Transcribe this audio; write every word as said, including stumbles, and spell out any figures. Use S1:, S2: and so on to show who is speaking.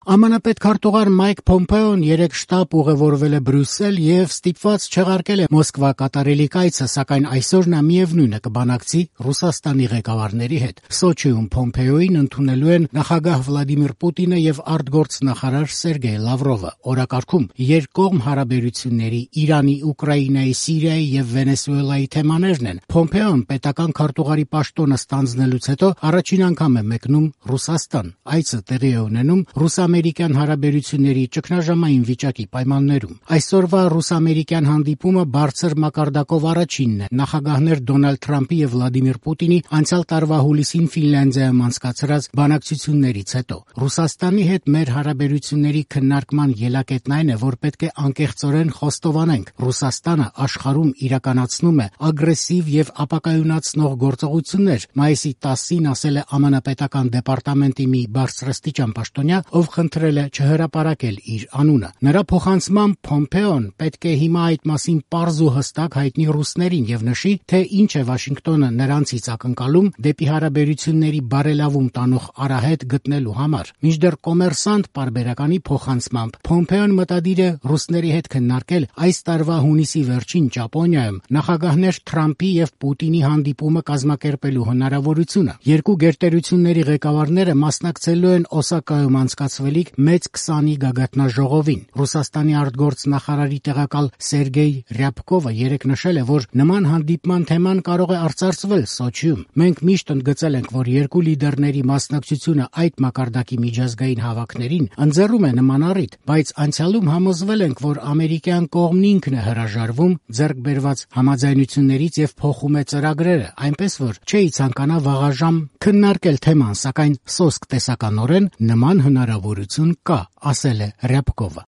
S1: ԱՄՆ պետքարտուղար Մայք Փոմպեոն երեկ շտապ ուղևորվել է Բրյուսել եւ ստիպված չեղարկել է Մոսկվա կատարելի կայցը, սակայն այսօր նա միևնույնը կբանակցի Ռուսաստանի ղեկավարների հետ։ Սոչիում Փոմպեոին ընդունելու են նախագահ Վլադիմիր Պուտինը եւ արտգործնախարար Սերգեյ Լավրովը։ Օրակարգում երկկողմ հարաբերությունների, Իրանի, Ուկրաինայի, Սիրիայի եւ Վենեսուելայի թեմաներն են։ Փոմպեոն պետական քարտուղարի պաշտոնը ստանձնելուց հետո առաջին անգամ է մեկնում Ռուսաստան։ Այցը տեղի է ունենում ռուս-ամերիկյան հարաբերությունների ճգնաժամային վիճակի պայմաններում։ Այսօրվա ռուս-ամերիկյան հանդիպումը բարձր մակարդակով առաջինն է նախագահներ Դոնալդ Թրամփի եւ Վլադիմիր Պուտինի անցյալ տարվա հուլիսին Ֆինլանդիայում անցկացրած բանակցություններից հետո։ Ռուսաստանի հետ մեր հարաբերությունների քննարկման ելակետն այն է, որ պետք է անկեղծորեն խոստովանենք. Ռուսաստանը աշխարհում իրականացնում է ագրեսիվ եւ ապակայունացնող գործողություններ, մայիսի տասին ասել է ԱՄՆ պետական դեպարտամենտի մի բարձրաստիճան պաշտոնյա, ով խնդրել է չհրապարակել իր անունը։ Նրա փոխանցմամբ Փոմպեոն պետք է հիմա այդ մասին պարզ ու հստակ հայտնի ռուսներին եւ նշի, թե ինչ է Վաշինգտոնը նրանցից ակնկալում դեպի հարաբերությունների բարելավում տանող արահետ գտնելու համար։ Մինչդեռ Կոմերսանտ պարբերականի փոխանցմամբ Փոմպեոն մտադիր է ռուսների հետ քննարկել այս տարվա հունիսի վերջին Ճապոնիայում նախագահներ Թրամփի եւ Պուտինի հանդիպումը կազմակերպելու հնարավորությունը։ Երկու գերտերությունների ղեկավարները մասնակցելու են Օսակայում անցկացվելիք մեծ քսանի գագաթնաժողովին։ Ռուսաստանի արտգործնախարարի տեղակալ Սերգեյ Ռյաբկովը երեկ նշել է, որ նման հանդիպման թեման կարող է արծարծվել Սոչիում։ Մենք միշտ ընդգծել ենք, որ երկու լիդերների մասնակցությունը այդ մակարդակի միջազգային հավաքներին ընձեռում է նման առիթ, բայց անցյալում համոզվել ենք, որ ամերիկյան կողմն ինքն է հրաժարվում ձեռք բերված համաձայնություններից եւ փոխում է ծրագրերը, այնպես որ չէի ցանկանա վաղաժամ քննարկել թեման, սակայն սոսկ տեսականորեն նման հնարավորություն կա, ասել է Ռյաբկովը։